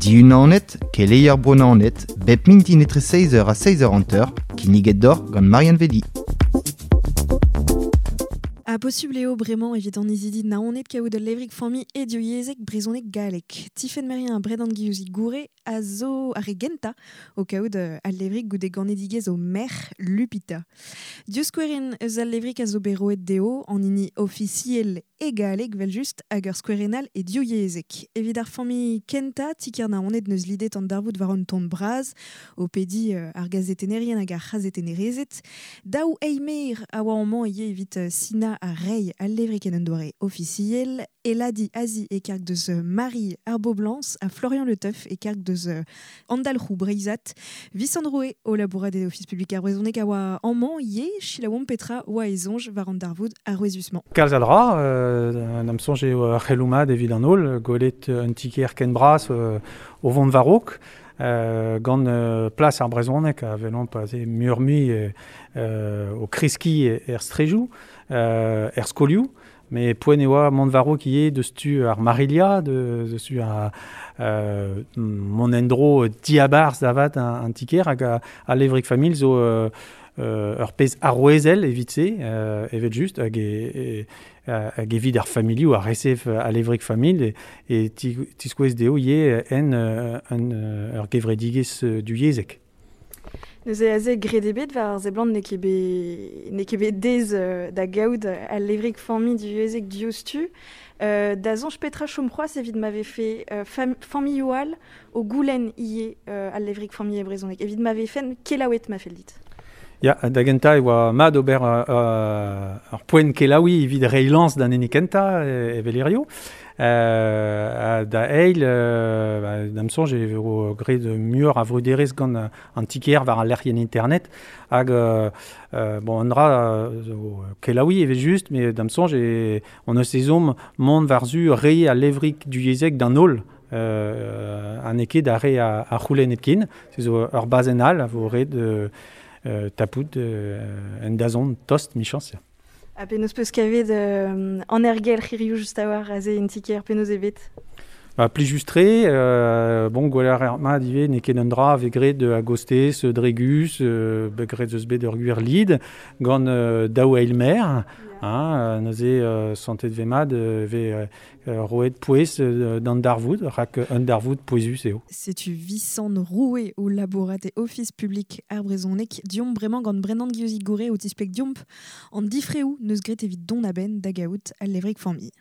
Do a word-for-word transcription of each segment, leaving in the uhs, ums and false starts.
Diunanet, keleier bronanet, bep mintin etre seiz eur ha seiz eur hanter, kinniget d'or gant Marianne Vedi. A posubl eo bremañ evit an izidi naoned kaout ul levrig familh e divyezhek brezhoneg galleg. Tifenn Merien ha Bredan Guillouzi Gouré a zo ar re gentañ o kaout al levrig goude ganedigezh o merc'h Lupita. Div skouerenn eus al levrig a zo bet roet dezho, an hini ofisiel e galleg vel-just hag ur skouerenn all e divyezhek. Evit ar familh kentañ, ti-kêr Naoned neus lidet an darvoud war un ton bras, o pediñ ar gazetennerien hag ar c'hazetennerezed. Daou eimer a oa amañ ivez evit sinañ ar reiñ al levrig en un doare ofisiel, Eladi Azi e karg deus Marie Arboblans ha Florian Le Teuf e karg deus Andalc'hou Breizhat. Visant Roue o labourat e Ofis publik ar brezhoneg a oa amañ ivez, selaouomp petra oa e soñj war an darvoud arouezusmañ. Kalz a dra, euh, n'am soñj eo ar c'heloù-mat evit an holl, gwelet un ti-kêr ken bras euh, o vont war-raok, euh, gant euh, plas ar brezhoneg a welomp aze muioc'h-mui euh, o kreskiñ er strejoù, euh, er skolioù, mais poent e oa mont war-raok ivez deus tu ar Marilia, de, deus tu ar euh, mont en-dro diabarzh davat an, an ti-kêr hag a, a levrig familh zo euh, euh, ur pezh arouezel evit se, euh, evet just, hag e, e, hag evit ar familhoù a resev a levrig familh e, e tiskouez dezho ivez en un ur gevredigezh divyezhek. Neuze aze graet ebet war ar seblant n'eo ket bet n'eo ket bet dez da gaout al levrig familh divyezhek diouzhtu. Euh, da soñj petra chom c'hoazh evit ma vefe euh, fam familhoù all o goulenn ivez euh, al levrig familh e brezhoneg. Evit ma vefen kelaouet ma fell dit. Ya, da gentañ e oa mat ober euh, ur poent kelaouiñ evit reiñ lañs d'an hini kentañ evel hirio. Euh, da eil, euh, ba, d'am soñj e vo graet muioc'h a vruderezh gant an ti-kêr war al lec'hienn internet hag euh, euh, bon, an dra zo kelaouiñ evel-just, met d'am soñj e on eus ezhomm mont war-zu reiñ al levrig divyezhek d'an holl. Euh, an eo ket ar re a, a c'houlenn hepken, se zo ur bazenn all a vo ret euh, euh, tapout euh, en dazont tost michañs. Ha penaos peus kavet euh, an ergelc'h hiziv just a-walc'h aze en ti-kêr penaos eo bet? Ba, plijus-tre, euh, bon, gwelet ar mat ivez n'eo ket un dra a vez graet a gostez, dregus, euh, bet graet eus bet ur gwir lid, gant euh, daou eilmer, hein, neuze euh, santet vez mat euh, vez euh, roet pouez euh, d'an darvoud, rak un darvoud pouezus eo. Setu Visant Roue o labourat e Ofis publik ar brezhoneg, diomp bremañ gant Brendan Guillouzic Gouré o tispleg diomp an difreoù neus graet evit dont a-benn da gaout al levrig familh.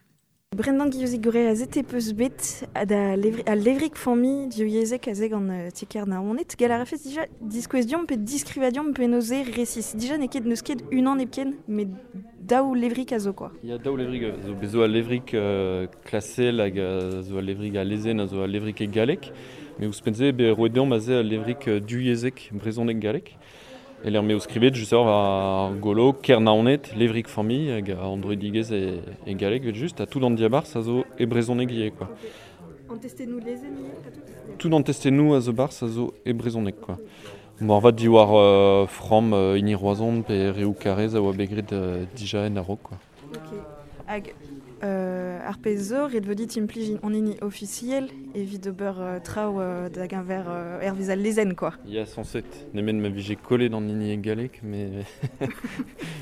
Brendan Guillouzic Gouré a zete peus bet da levri, al levrig familh divyezhek aze gant uh, ti-kêr Naoned. Gall a rafes dija diskouez diomp pe diskrivañ diomp penaos eo resis. Dija n'eo ket n'eus ket unan hepken, met daou levrig a zo quoi. Ya, daou levrig zo bet zo al levrig euh, klasel hag zo al levrig a lezenn a zo al levrig e galleg. Met ouzhpenn-se bet roet deomp aze al levrig divyezhek brezhoneg galleg. E lec'h m'eo skrivet just war ar golo Kêr Naoned, levrig familh hag an droidigezh e, e galleg evel-just, ha tout an diabarzh a zo e brezhoneg ivez quoi. An testennoù lezenn ivez, ha tout? Tout an testennoù a zo barzh a zo e brezhoneg quoi. Moarvat diwar euh, framm euh, hini Roazhon pe reoù Karez a oa bet graet euh, dija en a-raok quoi. Ok. Hag euh, ar pezh zo, ret vo dit implij an hini ofisiel evit ober euh, traoù euh, da geñver euh, hervez al lezenn quoi. Ya, sañset. Nemet ma vije kollet an hini e galleg, mais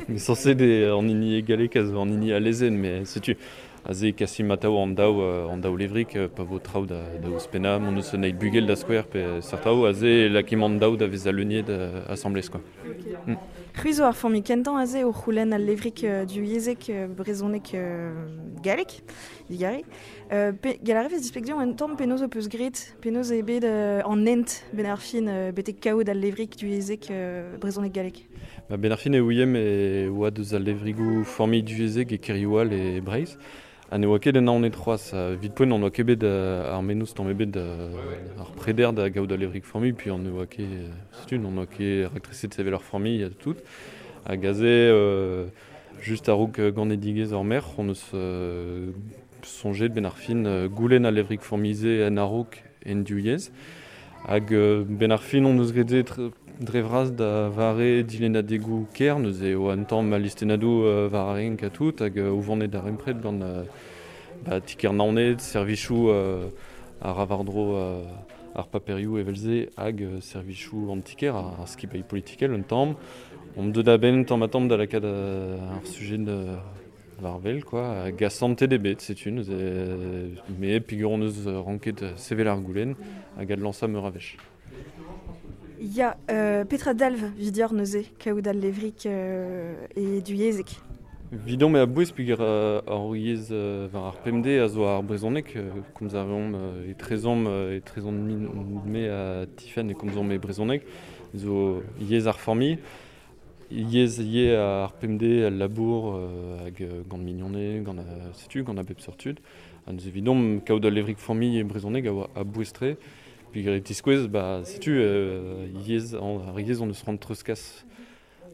mais sañset eo an hini e galleg a zo an hini a lezenn, mais setu aze kasimp atav an daou an daou levrig pa vo traoù da, da ouzhpennañ, mont eus un eil bugel da skouer pe seurt aze lakimp an daou da vezañ leuniet asambles quoi. Okay. Mm. C'hwi zo ar familh kentañ aze o c'houlenn al levrig euh, divyezhek euh, brezhoneg euh, galleg, digare. Euh, pe, gall a rafes displeg diomp un tamm penaos ho peus graet, penaos eo bet euh, an hent ben ar fin euh, betek kaout al levrig divyezhek euh, brezhoneg galleg. Ba, ben ar fin e ouiemp e oa deus al levrigoù familh divyezhek e kêrioù all e Breizh. Ha ne oa ket en Naoned c'hoazh, evit poent on oa ket bet ar mennozh tamm ebet ar preder da gaout al levrig familh, puis on ne oa ket, setu, on oa ket raktreset sevel ur familh ha tout. Hag aze, euh, just a-raok ganedigezh ar merc'h, on eus euh, soñjet ben ar fin euh, goulenn al levrig familh-se en a-raok en divyezh. Hag euh, ben ar fin on eus graet dre vras da vare dilennadegoù kêr, neuze eo un tamm al listennadoù euh, war ar renk ha tout, hag euh, o vont d'ar darempred gant euh, ba, ti-kêr Naoned, servijoù euh, a ravardro euh, ar paperioù evelze hag euh, servichou antiker ar, ar skipailh politikel un tamm. On deut da ben tamm a tamm da lakaat ar sujet de varvel quoi, hag asante debet, setu, neuze, me peogwir hon eus ranket sevel ar goulenn hag adlañsañ meur a wech. Ya, euh, Petra dalv vidior neuze, kaout al levrik euh, e du yezek. Vidon me a bouez peogwir euh, ar yezh euh, war ar pemde a zo ar brezhoneg, euh, komz a reomp euh, e trezomp e trezomp me a Tiffen e komzomp e brezhoneg, zo yezh ar familh, yezh ye ar pemde al labour euh, hag gant mignoned, gant euh, setu, gant a bep seurt tud. Ha neuze evidomp kaout al levrik familh e brezhoneg a oa a bouez-tre, peogwir e tiskouez, ba, setu, euh, yezh, an, ar yezh on eus c'hoant treuzkas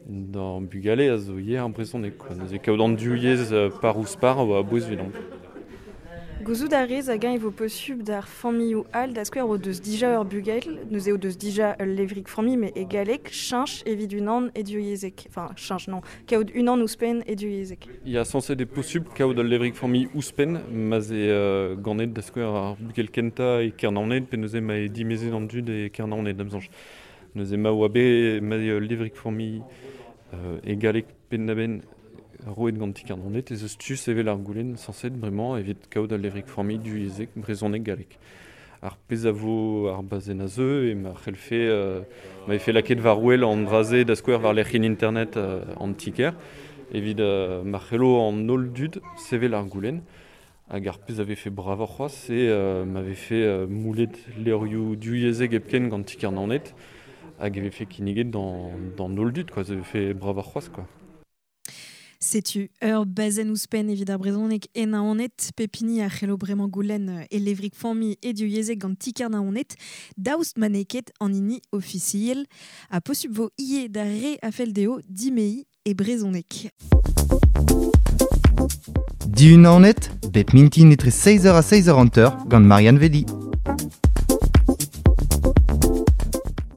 d'an bugale a zo ivez ar brezhoneg, quoi. Neuze kaout an div yezh par ouzh par a oa a-bouez evidomp. Gouzout a rez hag-eñ e vo posubl d'ar familhoù all da skouer o deus dija ur bugel, neuze o deus dija ul levrig familh met e galleg, cheñch evit unan e div yezhek. Enfin, cheñch non, kaout unan ouzhpenn e div yezhek. Ya, sañset eo posubl kaout ul levrig familh ouzhpenn, ma'z eo euh, ganet da skouer ar bugel kentañ e Kernaoned, pe neuze ma eo dimezet an dud e Kernaoned, da'm soñj. Neuze ma oa bet ma eo ul levrig familh euh, e galleg penn-da-benn roet gant ti Kernaoned, ez eus tu sevel ar goulenn sañset bremañ evit kaout al levrig familh du yezhek brezhoneg galleg. Ar pezh a vo ar bazenn a zeu e ma c'hellfe euh, ma vefe lakaet war wel an dra-se da skouer war lec'hienn internet euh, an ti-kêr, evit euh, ma c'hello an holl dud sevel ar goulenn. Hag ar pezh a vefe bravoc'h c'hoazh eo euh, ma vefe euh, moulet levrioù div yezhek hepken gant ti Kernaoned, hag e vefe kinniget d'an, d'an holl dud, quoi, ça vefe bravoc'h c'hoazh, quoi. Setu ur bazenn ouzhpenn evit ar brezhoneg e Naoned, pep hini a c'hello bremañ goulenn e levrig familh e div yezhek gant ti-kêr Naoned, daoust ma n'eo ket an hini ofisiel, ha posubl vo ivez d'ar re a fell dezho dimeziñ e brezhoneg. Dihun Naoned, bep mintin etre seizh eur ha seizh eur hanter gant Marianne Vedi.